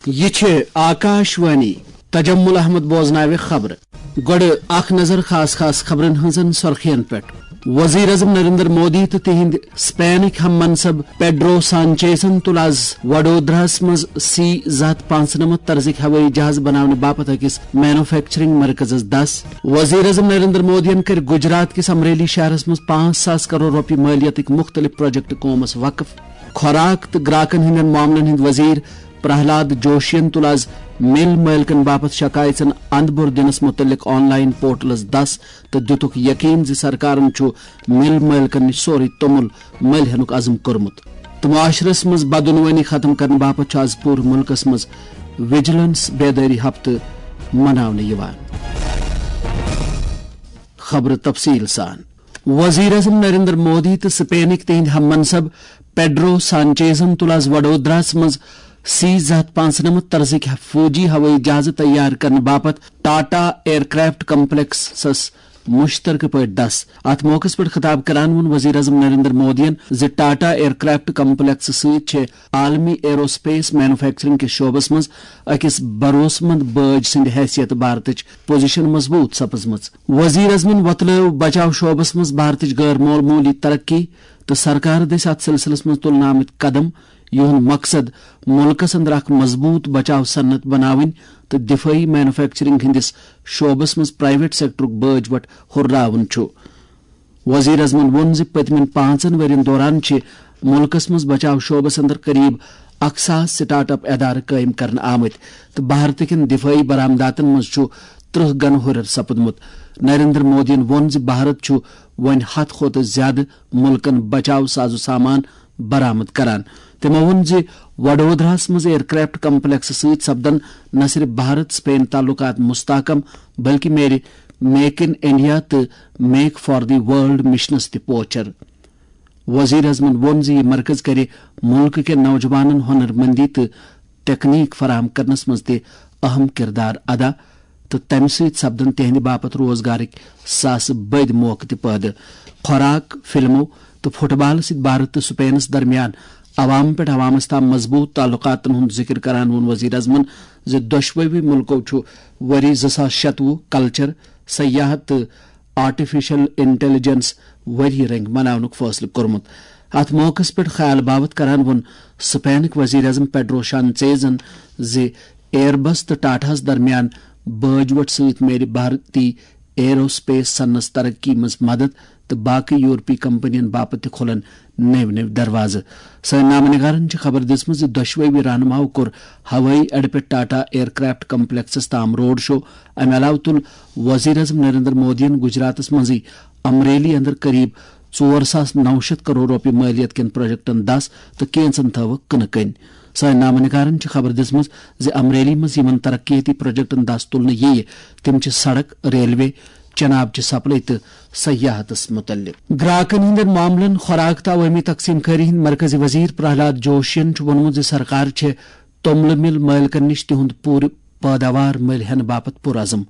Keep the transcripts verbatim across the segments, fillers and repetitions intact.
یہِ چھِ آکاش وانی۔ تجمل احمد بوزناوِ خبرٕ۔ گۄڈٕ اکھ نظر خاص خاص خبرن ہٕنٛزن سرخین پٮ۪ٹھ۔ وزیر اعظم نریندر مودی تہٕ تِہنٛدۍ سپینٕکۍ ہم منصب پیڈرو سانچیزن تُل از وڈودراہس منٛز سی زٕ ہتھ پانٛژھ نمتھ طرزٕکۍ ہوٲیی جہاز بناونہٕ باپتھ أکِس مینوفیکچرنگ مرکزس دس۔ وزیر اعظم نریندر مودیَن کٔرۍ گجرات کِس امریلی شہرس منٛز پانٛژھ ساس کرور رۄپیہِ مٲلیتٕکۍ مُختٔلِف پروجیکٹ قومس وقف۔ خوراک تہٕ گراکن ہٕنٛدٮ۪ن معاملن ہٕنٛدۍ وزیر پرہلاد جوشین تُل از مِل مٲلکن باپتھ شکایژن اندبر دِنس مُتعلق آن لائن پورٹلس دس تہٕ دِتُکھ یقین زِ سرکارن چھُ مِل مٲلکن نِش سورُے توٚمُل مٔلۍ ہینُک عزم کوٚرمُت۔ تہٕ معاشرس منٛز بدعنوٲنی ختم کرنہٕ باپتھ چھُ از پوٗرٕ مُلکس منٛز وجیلنس بیدٲری ہفتہٕ مناونہٕ یِوان۔ خبرٕ تفصیل سان۔ وزیر اعظم نریندر مودی تہٕ سپینٕکۍ تِہنٛدۍ ہم منصب پیڈرو سانچیزن تُل از وڈودراہس منٛز سی زٕ ہتھ پانٛژھ نمتھ طرزٕکۍ فوجی ہوٲیی جہازٕ تیار کرنہٕ باپتھ ٹاٹا ایئر کرافٹ کمپلیکسس مشترکہٕ پٲٹھۍ دس۔ اتھ موقعس پٮ۪ٹھ خطاب کران ووٚن وزیر اعظم نریندر مودیَن زِ ٹاٹا ایئر کرافٹ کمپلیکس سۭتۍ چھِ عالمی ایرو سپیس مینوفیکچرنگ کِس شعبس منٛز أکِس بھروسہٕ مند بٲج سٕنٛدِ حیثیت بھارتٕچ پوزیشن مضبوط سپٕزمٕژ۔ وزیر اعظمن وۄتلٲو بچاو شعبس منٛز بھارتٕچ غٲر معموٗلی ترقی تہٕ سرکار دٔسۍ اتھ سلسلس منٛز تُلنہٕ آمٕتۍ قدم، یِہُنٛد مقصد مُلکس اندر اکھ مضبوٗط بچاو صنعت بناوٕنۍ تہٕ دفٲعی مینوفیکچرنگ ہٕنٛدِس شعبس منٛز پرائیویٹ سیکٹرُک بٲج وٹ ہُرراوُن چھُ۔ وزیر اعظمن ووٚن زِ پٔتمٮ۪ن پانٛژن ؤرین دوران چھِ مُلکس منٛز بچاو شعبس اندر قریب اکھ ساس سٹارٹ اپ ادارٕ قٲیِم کرنہٕ آمٕتۍ تہٕ بھارتٕکٮ۪ن دفٲعی برآمداتن منٛز چھُ ترٕٛہ گنہٕ ہُرٮ۪ر سپُدمُت۔ نریندر مودیَن ووٚن زِ بھارت چھُ وۄنۍ ہتھ کھۄتہٕ زیادٕ مُلکن بچاو ساز و سامان برآمد کران۔ تِمو ووٚن زِ وڈودراہس منٛز ایئر کرافٹ کمپلیکس سۭتۍ سپدن نہ صرف بھارت سپین تعلقات مستحکم، بلکہ میرِ میک ان انڈیا تہٕ make for the world missions تہِ پوچھر۔ وزیر اعظمن ووٚن زِ یہِ مرکز کرِ مُلکہٕ کٮ۪ن نوجوانن ہُنر مندی تہٕ تکنیک فراہم کرنس منٛز تہِ اہم کردار ادا تہٕ تمہِ سۭتۍ سپدن تِہنٛدِ باپتھ روزگارٕکۍ ساسہٕ بٔدۍ موقعہٕ تہِ پٲدٕ۔ خوراک، فلمو تہٕ فٹ بالہٕ سۭتۍ بھارت تہٕ سپینس درمیان عوام پٮ۪ٹھ عوامس تام مضبوٗط تعلقاتن ہُنٛد ذکر کران ووٚن وزیر اعظمن زِ دۄشوٕے مُلکو چھُ ؤری زٕ ساس شتوُہ کلچر، سیاحت تہٕ آرٹیفیشل انٹیلیجنس ؤری رنگ مناونُک فٲصلہٕ کوٚرمُت۔ اتھ موقعس پٮ۪ٹھ خیال باوتھ کران ووٚن سپینٕکۍ وزیر اعظم پیڈرو سانچیزن زِ ایئر بس تہٕ ٹاٹاہس درمیان بٲج وٹ سۭتۍ میلہِ بھارتی ایرو سپیس صنعتس ترقی منٛز مدد تہٕ باقی یورپی کمپنین باپتھ تہِ کھولن نٔوۍ نٔوۍ دروازٕ۔ سٲنۍ نامہ نگارن چھِ خبر دِژمٕژ زِ دۄشوٕے رہنماہو کوٚر ہوٲیی اڈٕ پٮ۪ٹھ ٹاٹا ایئر کرافٹ کمپلیکسس تام روڈ شو۔ امہِ علاوٕ تُل وزیر اعظم نریندر مودیَن گجراتس منٛزٕے امریلی اندر قریب ژور ساس نو شیٚتھ کرور رۄپیہِ مٲلیت کٮ۪ن پروجیکٹن دس تہٕ کینژن تھٲوٕکھ کٕنہٕ کٔنۍ۔ سٲنۍ نامہ نگارن چھِ خبر دِژمٕژ زِ امریلی منٛز یِمن ترقیتی پروجیکٹن دس تُلنہٕ یِیہِ، تِم چھِ سڑک، ریلوے، چناب چہِ سپلائی تہٕ سیاحتس متعلق۔ گراکن ہٕنٛدٮ۪ن معاملن، خوراک تہٕ عوٲمی تقسیم کٲری ہٕنٛدۍ مرکزی وزیر پرہلاد جوشین چھُ ووٚنمُت زِ سرکار چھِ توٚملہٕ مِل مٲلکن نِش تِہُنٛد پوٗرٕ پٲداوار مٔلۍ ہٮ۪نہٕ باپتھ پُرعزم۔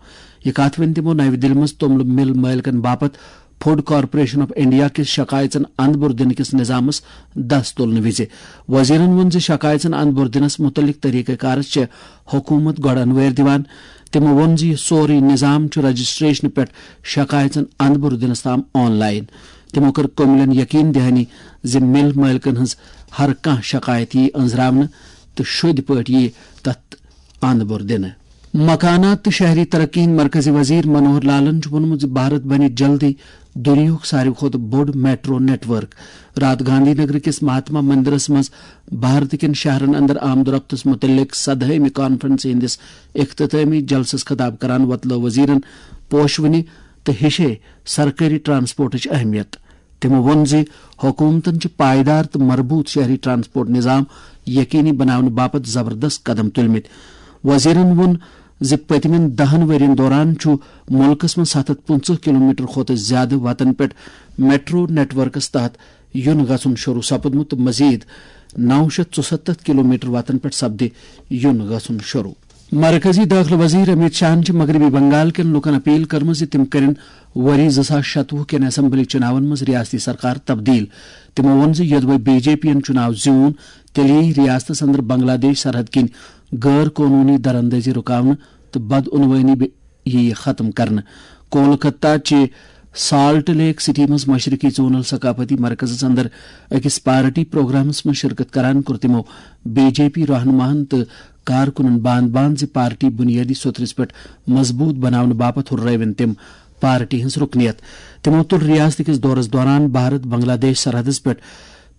یہِ کتھ ؤنۍ تِمو نَوِ دِلہِ منٛز توٚملہٕ مِل مٲلکن باپتھ فوڈ کارپوریشن آف انڈیا کِس شکایژن اندبر دِنہٕ کِس نظامس دس تُلنہٕ وِزِ۔ وزیرن ووٚن زِ شکایژن اندبر دِنس مُتعلق طریقہ کارس چھےٚ حکوٗمت گۄڈٕ انوٲرۍ دِوان۔ تِمو ووٚن زِ یہِ سورُے نظام چھُ رجسٹریشنہٕ پٮ۪ٹھ شکایژن اندبر دِنس تام آن لائن۔ تِمو کٔر کوملن یقین دہانی زِ مِل مٲلکن ہٕنٛز ہر کانٛہہ شکایت یِیہِ أنٛزراونہٕ تہٕ شوٚدۍ پٲٹھۍ یِیہِ تتھ اندبر دِنہٕ۔ مکانات تہٕ شہری ترقی ہٕنٛدۍ مرکزی وزیر منوہر لالن چھُ ووٚنمُت زِ بھارت بنہِ جلدی دُنیاہُک ساروی کھۄتہٕ بوٚڑ میٹرو نیٹ ورک۔ راتھ گاندھی نگر کِس مہاتما مندرس منٛز بھارت کٮ۪ن شہرن اندر آمد و رفتس متعلق سدہٲمہِ کانفرنس ہٕنٛدِس اختتٲمی جلسس خطاب کران وۄتلٲو وزیرن پوشوٕنہِ تہٕ ہِشے سرکٲری ٹرانسپورٹٕچ اہمیت۔ تِمو ووٚن زِ حکوٗمتَن چھِ پائیدار تہٕ مربوط شہری ٹرانسپورٹ نظام یقینی بناونہٕ باپتھ زبردست قدم تُلمٕتۍ۔ وزیرَن ووٚن زِ پٔتمٮ۪ن دَہَن ؤرین دوران چھُ مُلکَس منٛز ستھ ہتھ پٕنٛژٕہ کلومیٹر کھۄتہٕ زِیٛادٕ وتن پٮ۪ٹھ میٹرو نیٹ ورکس تحت یُن گژھُن شروٗع سپُدمُت تہٕ مزید نو شیتھ ژُستتھ کلومیٹر وتن پٮ۪ٹھ سپدِ یُن گژھُن شروٗع۔ مرکزی دٲخلہٕ وزیر امیت شاہن چھِ مغربی بنگال کٮ۪ن لوٗکن اپیل کٔرمٕژ زِ تِم کٔرِن ؤری زٕ ساس شتوُہ کٮ۪ن اسمبلی چُناون منٛز ریاستی سرکار تبدیل۔ تِمو ووٚن زِ یوٚدوَے بی جے پی یَن چُناو زیوٗن، تیٚلہِ یِیہِ ریاستس اندر بنگلہ دیش سرحد کِنۍ غٲر قونوٗنی دراندٲزی رُکاونہٕ تہٕ بدعنوٲنی بے-، یِیہِ ختم کرنہٕ۔ کولکتہ چہِ سالٹ لیک سٹی منٛز مشرقی زونل ثقافتی مرکزس اندر أکِس پارٹی پروگرامس منٛز شرکت کران کوٚر تِمو بی جے پی رہنماہن تہٕ کارکنن باند باند زِ پارٹی بنیٲدی سوٚتھرِس پٮ۪ٹھ مضبوٗط بناونہٕ باپتھ ہُررٲوِن تِم پارٹی ہٕنٛز رُکنیت۔ تِمو تُل ریاست کِس دورس دوران بھارت بنگلہ دیش سرحدس پٮ۪ٹھ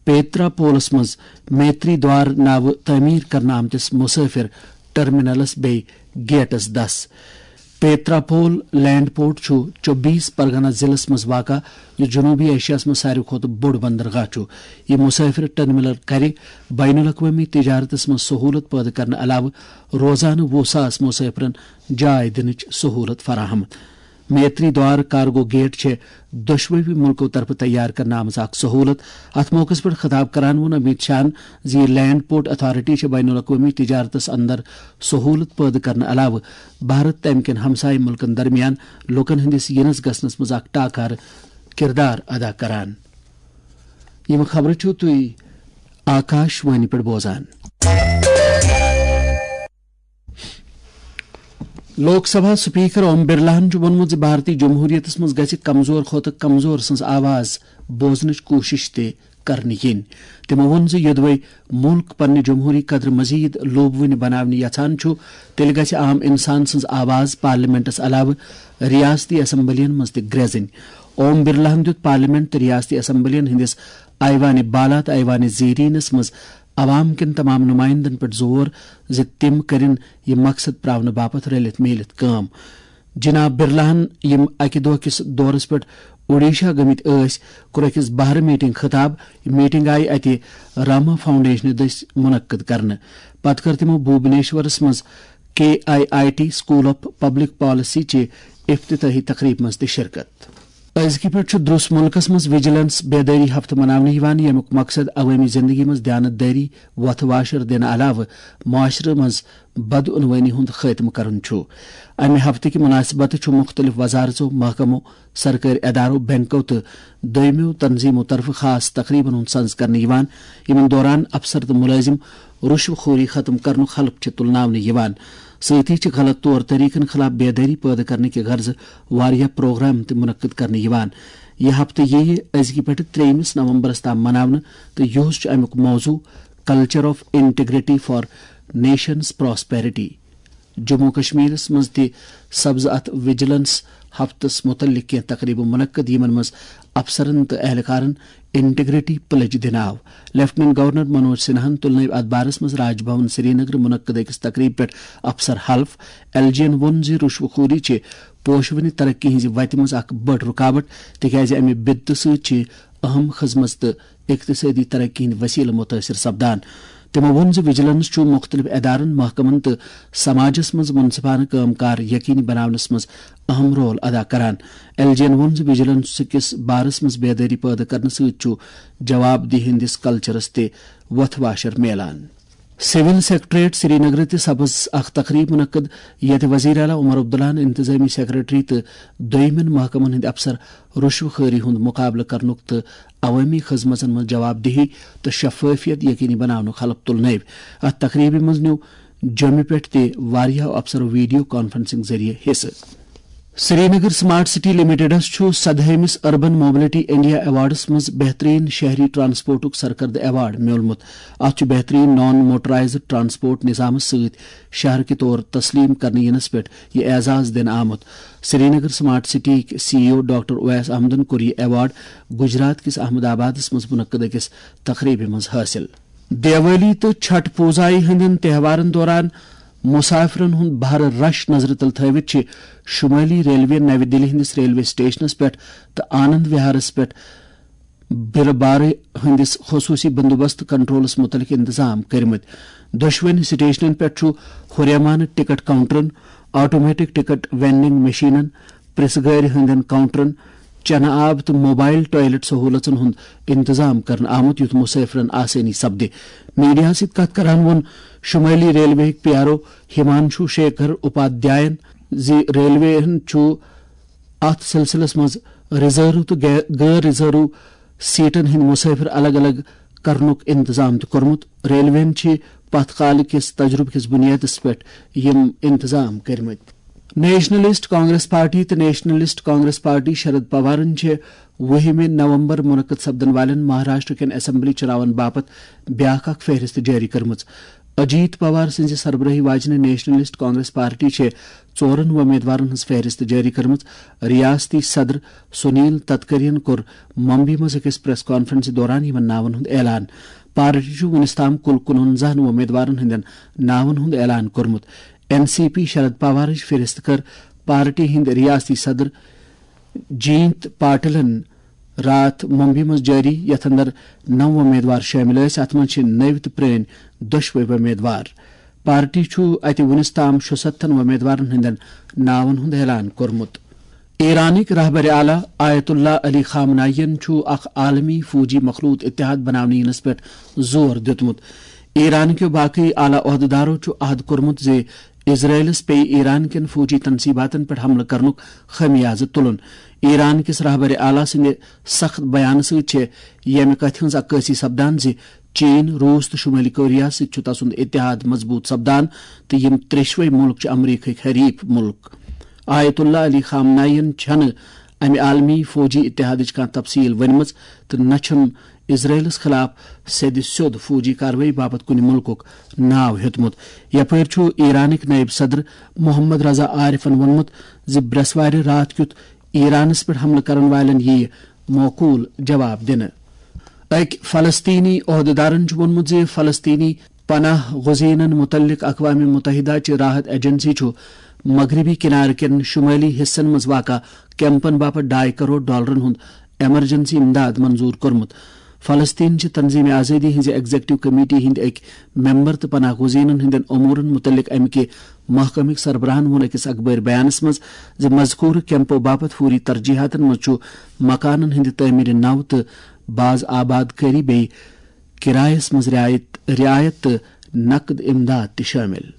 پیترا پولس منٛز میتری دوار ناوٕ تعمیٖر کرنہٕ آمتِس مسافر ٹرمینلس بیٚیہِ گیٹس دس۔ پیترا پول لینڈ پورٹ چھُ چوبیس پرگنا ضلعس منٛز واقع، یُس جنوبی ایشیاہس منٛز ساروی کھۄتہٕ بوٚڑ بندرگاہ چھُ۔ یہِ مسافر ٹرمینل کرِ بین الاقوٲمی تجارتس منٛز سہولت پٲدٕ کرنہٕ علاوٕ روزانہٕ وُہ ساس مسافرن جاے دِنٕچ سہولت فراہم۔ میتری دوار کارگو گیٹ چھِ دۄشوٕے مُلکو طرفہٕ تیار کرنہٕ آمٕژ اکھ سہولت۔ اتھ موقعس پٮ۪ٹھ خطاب کران ووٚن امیت شاہن زِ یہِ لینڈ پورٹ اتھارٹی چھِ بین الاقوٲمی تجارتس اندر سہولت پٲدٕ کرنہٕ علاوٕ بھارت تہٕ امہِ کٮ۪ن ہمسایہِ مُلکن درمیان لوٗکن ہٕنٛدِس یِنس گژھنس منٛز اکھ ٹاکارٕ کردار ادا کران۔ یِم خبرٕ چھِو تُہۍ آکاش وانی پٮ۪ٹھ بوزان۔ لوک سبھا سپیکر اوم برلاہن چھُ ووٚنمُت زِ بھارتی جمہوریتس منٛز گژھِ کمزور کھۄتہٕ کمزور سٕنٛز آواز بوزنٕچ کوٗشش تہِ کرنہٕ یِنۍ۔ تِمو ووٚن زِ یوٚدوے مُلک پننہِ جمہوری قدر مزید لوٗبوٕنہِ بناونہِ یژھان چھُ، تیٚلہِ گژھِ عام انسان سٕنٛز آواز پارلیمنٹس علاوٕ ریاستی اسمبلین منٛز تہِ گرٛٮ۪زٕنۍ۔ اوم برلاہن دیُت پارلیمنٹ تہٕ ریاستی اسمبلین ہٕنٛدِس ایوان بالا تہٕ ایوان زیرینس منٛز عوام کٮ۪ن تمام نمائندن پٮ۪ٹھ زور زِ تِم کٔرِن یہِ مقصد پراونہٕ باپتھ رلِتھ میٖلِتھ کٲم۔ جناب برلاہن، یِم اکہِ دۄہ کِس دورس پٮ۪ٹھ اوڈیشہ گٔمٕتۍ ٲسۍ، کوٚر أکِس بہرٕ میٹنگ خطاب۔ یہِ میٹنگ آیہِ اتہِ راما فاؤنڈیشنہٕ دٔسۍ منعقد کرنہٕ۔ پتہٕ کٔر تِمو بھوبنیشورس منٛز K I I T school of public policy چہِ افتتاحی تقریبہِ منٛز تہِ شرکت۔ أزکہِ پٮ۪ٹھ چھُ درٛوس مُلکس منٛز وجیلنس بیدٲری ہفتہٕ مناونہٕ یِوان، ییٚمیُک مقصد عوٲمی زندگی منٛز دیانت دٲری، وۄتھٕ واشر دِنہٕ علاوٕ معاشرٕ منٛز بدعنوٲنی ہُنٛد خٲتمہٕ کرُن چھُ۔ امہِ ہفتہٕ کہِ مناسبتہٕ چھُ مُختٔلِف وزارژو، محکمو، سرکٲرۍ ادارو، بینکو تہٕ دوٚیمٮ۪و تنظیمو طرفہٕ خاص تقریبن ہُنٛد سنز کرنہٕ یِوان، یِمن دوران افسر تہٕ مُلٲزِم رُشوٕ خوری ختم کرنُک حلف چھِ تُلناونہٕ یِوان۔ سۭتی چھِ غلط طور طریقن خلاف بیدٲری پٲدٕ کرنہٕ کہِ غرضہٕ واریاہ پروگرام تہِ منعقد کرنہٕ یِوان۔ یہِ ہفتہٕ یِیہِ أزکہِ پٮ۪ٹھٕ ترٛیٚیِمِس نومبرس تام مناونہٕ تہٕ یُہُس چھُ امیُک موضوع Culture of Integrity for Nation's Prosperity۔ Jammu و کشمیرس منٛز تہِ سپزٕ اتھ وجیلنس ہفتس متعلق کینٛہہ تقریبہٕ منعقد، یِمن منٛز افسرن تہٕ اہلکارن انٹیگریٹی پلیج دِنہٕ آو۔ لیفٹیننٹ گورنر منوج سنہاہن تُلنٲوۍ اتھ بارس منٛز راج بھون سرینگر منعقد أکِس تقریبہِ پٮ۪ٹھ افسر حلف۔ ایل جی ین ووٚن زِ رُشوٕ خوری چھِ پوشونہِ ترقی ہٕنٛزِ وتہِ منٛز اکھ بٔڑ رُکاوٹ، تِکیازِ امہِ بدتہٕ سۭتۍ چھِ اہم خدمژ تہٕ اقتصٲدی ترقی ہٕنٛدۍ وسیلہٕ مُتٲثر سپدان۔ تِمو ووٚن زِ وجیلنس چھُ مُختٔلِف ادارن، محکمن تہٕ سماجس منٛز منصفانہٕ کٲم کار یقینی بناونس منٛز اہم رول ادا کران۔ ایل جی ین ووٚن زِ وجیلنس کِس بارس منٛز بیدٲری پٲدٕ کرنہٕ سۭتۍ چھُ جواب دہی ہٕنٛدِس کلچرس تہِ وۄتھٕ واشر میلان۔ سول سیکرٹریٹ سرینگر تہِ سپز اکھ تقریب منعقد، یتہِ وزیر اعلیٰ عمر عبداللہن انتظامی سیکرٹری تہٕ دویمٮ۪ن محکمن ہٕنٛدۍ افسر رُشوٕ خوری ہُنٛد مُقابلہٕ کرنُک تہٕ عوٲمی خدمژن منٛز جواب دہی تہٕ شفافیت یقینی بناونُک حلف تُلنٲوۍ۔ اتھ تقریبہِ منٛز نیوٗ جوٚمہِ پٮ۪ٹھ تہِ واریاہو افسرو ویڈیو کانفرنسنگ ذٔریعہٕ حصہٕ۔ سرینگر سمارٹ سٹی لمیٹڈس چھُ سدہٲمِس اربن موبلٹی انڈیا ایوارڈس منٛز بہترین شہری ٹرانسپورٹُک سرکردٕ ایوارڈ میوٗلمُت۔ اتھ چھُ بہترین نان موٹرائزڈ ٹرانسپورٹ نظامس سۭتۍ شہر کہِ طور تسلیم کرنہٕ ینس پٮ۪ٹھ یہِ اعزاز دِنہٕ آمُت۔ سرینگر سمارٹ سٹی سی ای او ڈاکٹر اویس احمدن کوٚر یہِ ایوارڈ گجرات کِس احمد آبادس منٛز منعقد أکِس تقریبہِ منٛز حٲصِل۔ دیوالی تہٕ چھٹ پوزایہِ ہٕنٛدٮ۪ن تہوارن دوران مسافرن ہُنٛد بھرٕ رش نظرِ تل تھٲوِتھ چھِ شمٲلی ریلوے نَوِ دِلہِ ہٕنٛدِس ریلوے سٹیشنس پٮ۪ٹھ تہٕ آنند وہارس پٮ۪ٹھ بِرٕ بارٕ ہٕنٛدِس خصوٗصی بندوبست کنٹرولس مُتعلق انتظام کٔرمٕتۍ۔ دۄشوٕنی سٹیشنن پٮ۪ٹھ چھُ ہُریمانہٕ ٹکٹ کاؤنٹرن، آٹومیٹک ٹکٹ وینڈنگ مشینن، پریس گٲڑۍ ہٕنٛدٮ۪ن کاؤنٹرن، چنہٕ آب تہٕ موبائل ٹوائلٹ سہولژن ہُنٛد انتظام کرنہٕ آمُت، یُتھ مسافرن آسٲنی سپدِ۔ میڈیاہَس سۭتۍ کتھ کران ووٚن شمٲلی ریلوے ہٕکۍ P R O Himanshu Shekhar اپادھیاین زِ ریلوے ہن چھُ اتھ سلسلس منٛز ریزرو تہٕ غیر، غٲر ریزرو سیٹن ہٕنٛدۍ مسافر الگ الگ کرنُک انتظام تہِ کوٚرمُت۔ ریلوے ہن چھِ پتھ کالہٕ کِس تجربہٕ کِس بُنیادس پٮ۪ٹھ یِم انتظام کٔرمٕتۍ۔ نیشنلسٹ کانگریس پارٹی تہٕ نیشنلسٹ کانگریس پارٹی شرد پوارن چھِ وُہمہِ نومبر منعقد سپدن والٮ۪ن مہاراشٹر کٮ۪ن اسمبلی چُناون باپتھ بیاکھ اکھ فہرست جٲری کٔرمٕژ۔ اجیت پوار سٕنٛزِ سربرٲہی واجنہِ نیشنلسٹ کانگریس پارٹی چھِ ژورن وۄمیدوارن ہٕنٛز فہرست جٲری کٔرمٕژ۔ ریاستی صدر سنیل تتکرین کوٚر ممبئی منٛز أکِس پریس کانفرنسہِ دوران یِمن ناون ہُنٛد اعلان۔ پارٹی چھُ وُنیُس تام کُل کُنوَنزاہن وۄمیدوارن ہٕنٛدٮ۪ن ناون ہُنٛد اعلان کوٚرمُت۔ این سی پی شرد پوارٕچ فہرست کٔر پارٹی ہٕنٛدۍ ریاستی صدر جینت پاٹلن راتھ ممبئی منٛز جٲری، یتھ اندر نو وۄمیدوار شٲمِل ٲسۍ۔ اتھ منٛز چھِ نٔوۍ تہٕ پرٲنۍ دۄشوے وۄمیدوار۔ پارٹی چھُ اتہِ وُنیُس تام شُستتھن وۄمیدوارن ہٕنٛدٮ۪ن ناون ہُنٛد اعلان کوٚرمُت۔ ایرانٕکۍ رہبر اعلیٰ آیت اللہ علی خامنائی ین چھُ اکھ عالمی فوجی مخلوط اتحاد بناونہٕ یِنس پٮ۪ٹھ زور دیُتمُت۔ ایران کیو باقی اعلیٰ عہدٕدارو چھُ عہد کوٚرمُت زِ اسرائیلس پیٚیہِ ایران کٮ۪ن فوجی تنصیباتن پٮ۪ٹھ حملہٕ کرنُک خمیازٕ تُلُن۔ ایران کِس رہبر اعلیٰ سٕنٛدِ سخت بیانہٕ سۭتۍ چھےٚ ییٚمہِ کتھِ ہٕنٛز عکٲسی سپدان زِ چین، روٗس تہٕ شمٲلی کوریا سۭتۍ چھُ تسُنٛد اتحاد مضبوٗط سپدان تہٕ یِم ترٛیشوے مُلک چھِ امریکہٕکۍ حریف مُلک۔ آیت اللہ علی خامنائی ین چھنہٕ امہِ عالمی فوجی اتحادٕچ کانٛہہ تفصیل ؤنمٕژ تہٕ نہ چھُن اسرائیلس خلاف سیٚدِ سیوٚد فوجی کاروٲیی باپتھ کُنہِ مُلکُک ناو ہیوٚتمُت۔ یپٲرۍ چھُ ایرانٕکۍ نٲیِب صدر محمد رضا عارفن ووٚنمُت زِ برٛٮ۪سوارِ راتھ کیُتھ ایرانس پٮ۪ٹھ حملہٕ کرن والٮ۪ن یِیہِ معقول جواب دِنہٕ۔ أکۍ فلسطینی عہدٕدارن چھُ ووٚنمُت زِ فلسطینی پناہ گزینن متعلق اقوام متحدہ چہِ راحت ایجنسی چھُ مغربی کنارٕ کٮ۪ن شمٲلی حصن منٛز واقع کیمپن باپتھ ڈاے کرور ڈالرن ہُنٛد ایمرجنسی امداد منظور کوٚرمُت۔ فلسطین چہِ تنظیم آزادی ہٕنٛزِ ایگزیکٹو کمیٹی ہٕنٛدۍ أکۍ ممبر تہٕ پناہ گزینن ہٕنٛدٮ۪ن امورن متعلق امہِ کہِ محکمٕکۍ سربراہن ووٚن أکِس اخبٲرۍ بیانس منٛز زِ مذکورٕ کیمپو باپتھ فوری ترجیحاتن منٛز چھُ مکانن ہٕنٛدِ تعمیرِ نو تہٕ باز آباد کٲری بیٚیہِ کرایس منٛز رعایت، رعایت تہٕ نقد امداد تہِ شٲمِل۔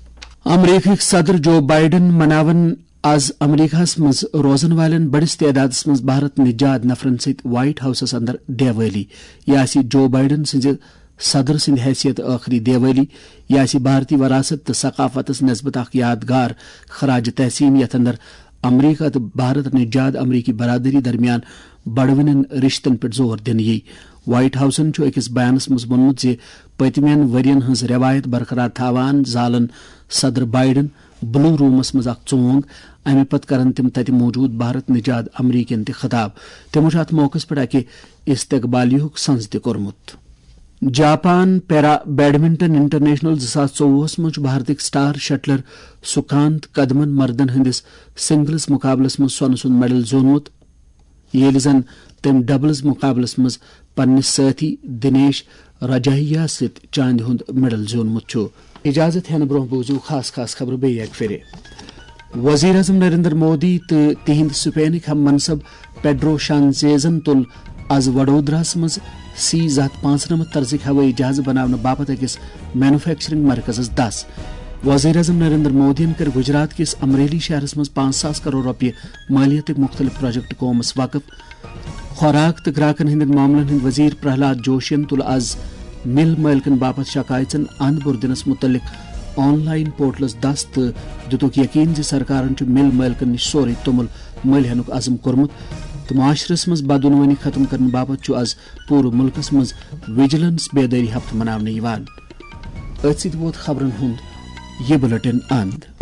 امریکہٕکۍ صدر جو بائیڈن مناون از امریکہس منٛز روزن والٮ۪ن بٔڑِس تعدادس منٛز بھارت نجات نفرن سۭتۍ وائٹ ہاؤسس اندر دیوٲلی۔ یہِ آسہِ جو بائیڈن سٕنٛزِ صدر سٕنٛدِ حیثیت ٲخری دیوٲلی۔ یہِ آسہِ بھارتی وراثت تہٕ ثقافتس نسبت اکھ یادگار خراج تحسین، یتھ اندر امریکہ تہٕ بھارت نجات امریکی برادری درمیان بڑوٕنٮ۪ن رشتن پٮ۪ٹھ زور دِنہٕ یِیہِ۔ وائٹ ہاؤسن چھُ أکِس بیانس منٛز ووٚنمُت زِ پٔتمٮ۪ن ؤرین ہٕنٛز رٮ۪وایت برقرار تھاوان زالن صدر بائیڈن بلو رومس منٛز اکھ ژونگ۔ امہِ پتہٕ کرن تِم تتہِ موجود بھارت نجات امریکین تہِ خطاب۔ تِمو چھُ اتھ موقعس پٮ۪ٹھ اکہِ استقبالیہُک سنز تہِ کوٚرمُت۔ جاپان پیرا بیڈمنٹن انٹرنیشنل زٕ ساس ژوٚوُہس منٛز چھُ بھارتٕکۍ سٹار شٹلر سکانت کدمن مردن ہٕنٛدِس سنگلز مقابلس منٛز سۄنہٕ سُنٛد میڈل زیوٗنمُت، ییٚلہِ زن تٔمۍ ڈبلز مقابلس منٛز پننِس سٲتھی دنیش راجاہیا سۭتۍ چاندِ ہُنٛد میڈل زیوٗنمُت چھُ۔ اجازت ہٮ۪نہٕ برٛونٛہہ بوٗزِو خاص خاص خبرٕ بیٚیہِ اکہِ پھِرِ۔ وزیر اعظم نریندر مودی تہٕ تِہنٛدۍ سپینٕکۍ ہم منصب پیڈرو شانچیزن تُل از وڈودراہس منٛز سی زٕ ہتھ پانٛژنمتھ طرزٕکۍ ہوٲیی جہازٕ بناونہٕ باپتھ أکِس مینوفیکچرنگ مرکزس دس۔ وزیر اعظم نریندر مودیَن کٔر گجرات کِس امریلی شہرس منٛز پانٛژھ ساس کرور رۄپیہِ مٲلیتٕکۍ مُختٔلِف پروجیکٹ قومس وقف۔ خوراک تہٕ گراکن ہٕنٛدٮ۪ن معاملن ہٕنٛدۍ وزیر پرہلاد جوشین تُل از مِل مٲلکن باپتھ شکایژن اند بُر دِنس مُتعلق آن لائن پورٹلس دس تہٕ دِتُکھ یقین زِ سرکارن چھُ مِل مٲلکن نِش سورُے توٚمُل مٔلۍ ہینُک عزم کوٚرمُت تہٕ معاشرس منٛز بدعنوٲنی ختم کرنہٕ باپتھ چھُ از پوٗرٕ مُلکس منٛز وجیلنس بیدٲری ہفتہٕ مناونہٕ یِوان۔ أتھۍ سۭتۍ ووت خبرن ہُنٛد یہِ بُلٹن اند۔